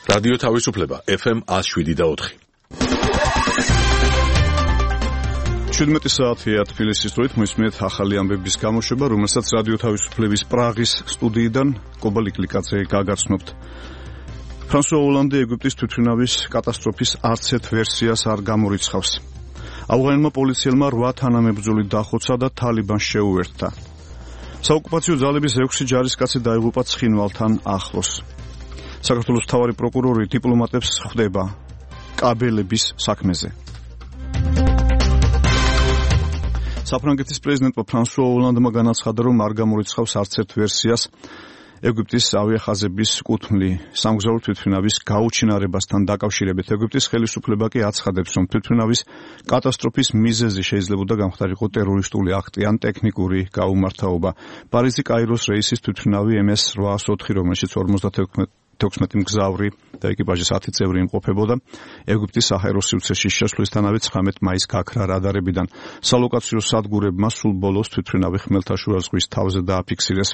რადიო თავისუფლება FM 107.4. 17 საათია თბილისის დროით მოისმენთ ახალი ამბების გამოშვება, რომელსაც რადიო თავისუფლების პრაღის სტუდიიდან კობა ლიკლიკაძე გაგაცნობთ. ფრანსუა ოლანდი ეგვიპტის თვითმფრინავის კატასტროფის არც ერთ ვერსიას არ გამორიცხავს. ავღანელმა პოლიციელმა 8 თანამებრძოლი დახოცა და თალიბანს შეუერთდა. საოკუპაციო ძალების 6 ჯარისკაცი დაიღუპა ცხინვალთან ახლოს. საქართველოს მთავარი პროკურორი დიპლომატებს ხვდება კაბელების საქმეზე. საფრანგეთის პრეზიდენტმა ფრანსუა ოლანდმა განაცხადა, რომ არ გამორიცხავს არც ერთ ვერსიას ეგვიპტის ავიახაზების კუთვნილი სამგზავრო თვითმფრინავის გაუჩინარებასთან დაკავშირებით. ეგვიპტის ხელისუფლება კი აცხადებს, რომ თვითმფრინავის კატასტროფის მიზეზი შეიძლება გამხდარიყო ტერორისტული აქტი ან ტექნიკური გაუმართავობა. პარიზი-კაიროს რეისის თვითმფრინავი MS-804, რომელშიც 56 მგზავრი და ეკიპაჟის 10 წევრი იმყოფებოდა, ეგვიპტის საჰაერო სივრცეში შესვლისთანავე 19 მაისს გაქრა რადარებიდან. სალოკაციო სადგურებმა სულ ბოლოს თვითმფრინავი ხმელთაშუა ზღვის თავზე დააფიქსირეს.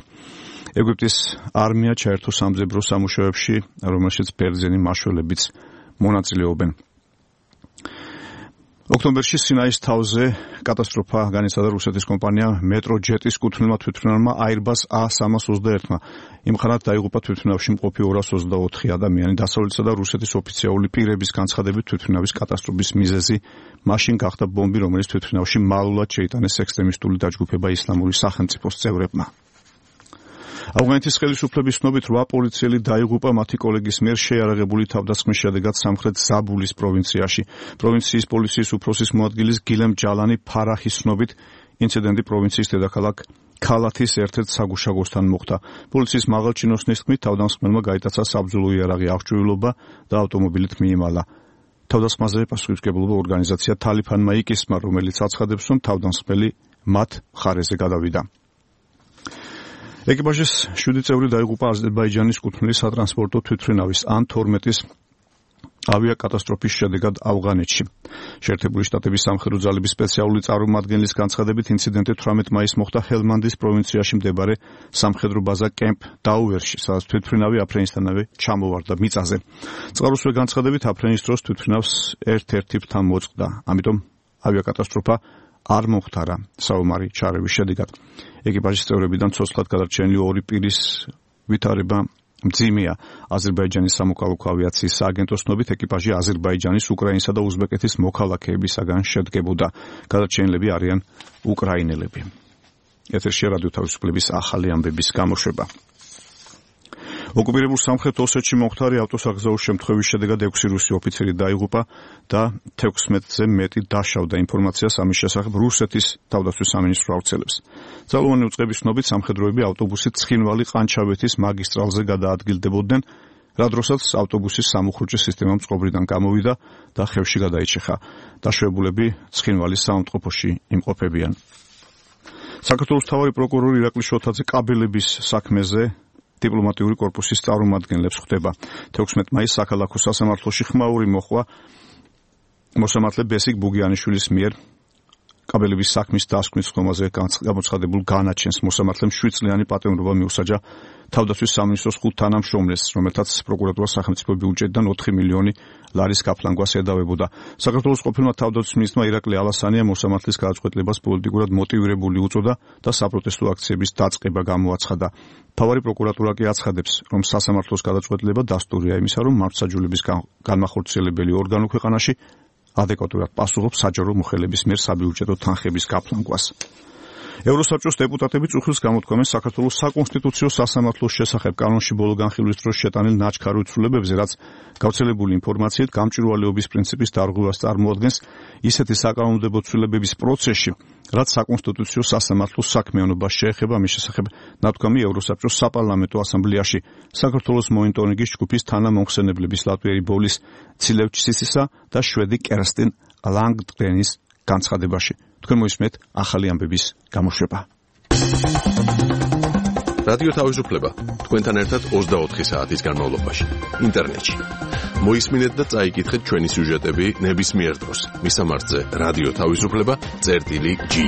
ეგვიპტის არმია ჩაერთო სამძებრო სამუშაოებში, რომელშიც ბერძენი მაშველებიც მონაწილეობენ. ოქტომბერში სინაის თავზე კატასტროფა განიცადა რუსეთის კომპანია მეტროჯეტის კუთვნილმა თვითმფრინავმა Airbus A321-მა. იმხანად დაიღუპა თვითმფრინავში მყოფი 224 ადამიანი. დასავლეთისა და რუსეთის ოფიციალური პირების განცხადებით თვითმფრინავის კატასტროფის მიზეზი მაშინ გახდა ბომბი, რომელიც თვითმფრინავში მალულად შეიტანეს ექსტრემისტული დაჯგუფება ისლამური სახელმწიფოს წევრებმა. ავღანეთის ხელისუფლების ცნობით 8 პოლიციელი დაიღუპა მათი კოლეგის მიერ შეიარაღებული თავდასხმის შედეგად სამხრეთ ზაბულის პროვინციაში. პროვინციის პოლიციის უფროსის მოადგილის გილემ ჯალანი ფარახის ცნობით ინციდენტი პროვინციის დედაქალაქ ქალათის ერთ-ერთ საგუშაგოსთან მოხდა. პოლიციის მაღალჩინოსნის თქმით, თავდამსხმელმა გაიტაცა საბრძოლო იარაღი აღჭურვილობა და ავტომობილით მიიმალა. თავდასხმაზე პასუხისმგებლობა ორგანიზაცია თალიფანმა იკისმა, რომელიც აცხადებს, რომ თავდამსხმელი მათ მხარეზე გადავიდა. ეკიპაჟის 7 წევრი დაიღუპა აზერბაიჯანის კუთვნილი სატრანსპორტო თვითმფრინავის ან 12-ის ავიაკატასტროფის შედეგად ავღანეთში. შეერთებული შტატების სამხედრო ძალების სპეციალური წარმომადგენლის განცხადებით, ინციდენტი 18 მაისს მოხდა ჰელმანდის პროვინციაში მდებარე სამხედრო ბაზა კემპ დაუვერში, სადაც თვითმფრინავი აფრენისთანავე ჩამოვარდა მიწაზე. წყაროსვე განცხადებით, აფრენის დროს თვითმფრინავს ერთ-ერთი ფრთა მოწყდა, ამიტომ ავიაკატასტროფა არ მომხდარა საომარი ჩარევის შედეგად. ეკიპაჟის წევრებიდან ცოცხლად გადარჩენილი 2 პირის ვითარება მძიმეა. აზერბაიჯანის სამოქალაქო ავიაციის სააგენტოს ცნობით, ეკიპაჟი აზერბაიჯანის, უკრაინისა და უზბეკეთის მოქალაქეებისაგან შედგებოდა. გადარჩენილები არიან უკრაინელები. ეთერში რადიო თავისუფლების ახალი ამბების გამოშვება. ოკუპირებულ სამხრეთ ოსეთში მომხდარი ავტოსაგზაურო შემთხვევის შედეგად 6 რუსი ოფიცერი დაიღუპა და 16-ზე მეტი დაშავდა. ინფორმაციას ამის შესახებ რუსეთის თავდაცვის სამინისტრო ავრცელებს. ძალოვანი უწყების ცნობით, სამხედროები ავტობუსით ცხინვალი-ყანჩავეთის მაგისტრალზე გადაადგილდებოდნენ, რა დროსაც ავტობუსის სამუხრუჭე სისტემა წყობრიდან გამოვიდა და ხევში გადაიჭიხა. დაშვებულები ცხინვალის საავადმყოფოში იმყოფებიან. საქართველოს მთავარი პროკურორი ირაკლი შოთაძე კაბელების საქმეზე დიპლომატიური კორპუსის წარმომადგენლებს ხვდება. 16 მაისს საქალაქო სასამართლოში ხმაური მოხვა მოსამართლე ბესიკ ბუგიანიშვილის მიერ კაბელების საქმის დასკვნის ხომაზე გამოცხადებულ განაჩენს. მოსამართლემ 7 წლიანი პატიმრობა მიუსაჯა თავდაცვის სამინისტროს 5 თანამშრომლებს, რომელთაც პროკურატურა სახელმწიფო ბიუჯეტიდან 4 მილიონი ლარის გაფლანგვას ედავებოდა. საქართველოს ყოფილმა თავდაცვის მინისტრმა ირაკლი ალასანია მოსამართლის გადაწყვეტილებას პოლიტიკურად მოტივირებული უწოდა და საპროტესტო აქციების დაწყება გამოაცხადა. მთავარი პროკურატურა კი აცხადებს, რომ სასამართლოს გადაწყვეტილება დასტურია იმისა, რომ მართლმსაჯულების განმახორციელებელი ორგანო ქვეყანაში ადეკვატურად პასუხობს საჯარო მოხელების მიერ საბიუჯეტო თანხების გაფლანგვას. ევროსაბჭოს დეპუტატები წუხილს გამოთქვამენ საქართველოს საკონსტიტუციო სასამართლოს შესახებ კანონში ბოლო განხილვის დროს შეტანილ ნაჩქარ უცვლილებებზე, რაც გავრცელებული ინფორმაციით გამჭვირვალეობის პრინციპის დარღვევას წარმოადგენს ისეთი საკანონმდებლო ცვლილებების პროცესში, რაც საკონსტიტუციო სასამართლოს საქმიანობას შეეხება. ამის შესახებ ნათქვამი ევროსაბჭოს საპარლამენტო ასამბლეაში საქართველოს მონიტორინგის ჯგუფის თანამომხსენებლების ლატვიერი ბოლის ცილევჩისისა და შვედი კერსტინ ლანგდგრენის განცხადებაში. თქვენ მოისმენთ ახალი ამბების გამოშვება. რადიო თავისუფლება თქვენთან ერთად 24 საათის განმავლობაში ინტერნეტში. მოისმინეთ და წაიკითხეთ ჩვენი სიუჟეტები ნებისმიერ დროს. მისამართზე რადიო თავისუფლება.gi